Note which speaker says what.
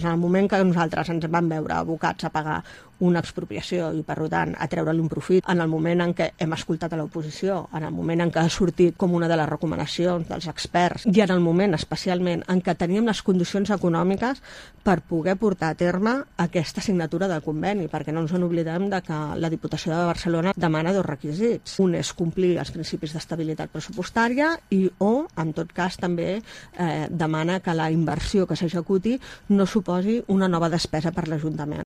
Speaker 1: En el moment que nosaltres ens vam veure abocats a pagar una expropiació i, per tant, a treure-li un profit, en el moment en què hem escoltat a l'oposició, en el moment en què ha sortit com una de les recomanacions dels experts i en el moment, especialment, en què teníem les condicions econòmiques per poder portar a terme aquesta signatura del conveni, perquè no ens en oblidem de que la Diputació de Barcelona demana dos requisits. Un és complir els principis d'estabilitat pressupostària o, en tot cas, també demana que la inversió que s'executi no suposi una nova despesa per l'Ajuntament.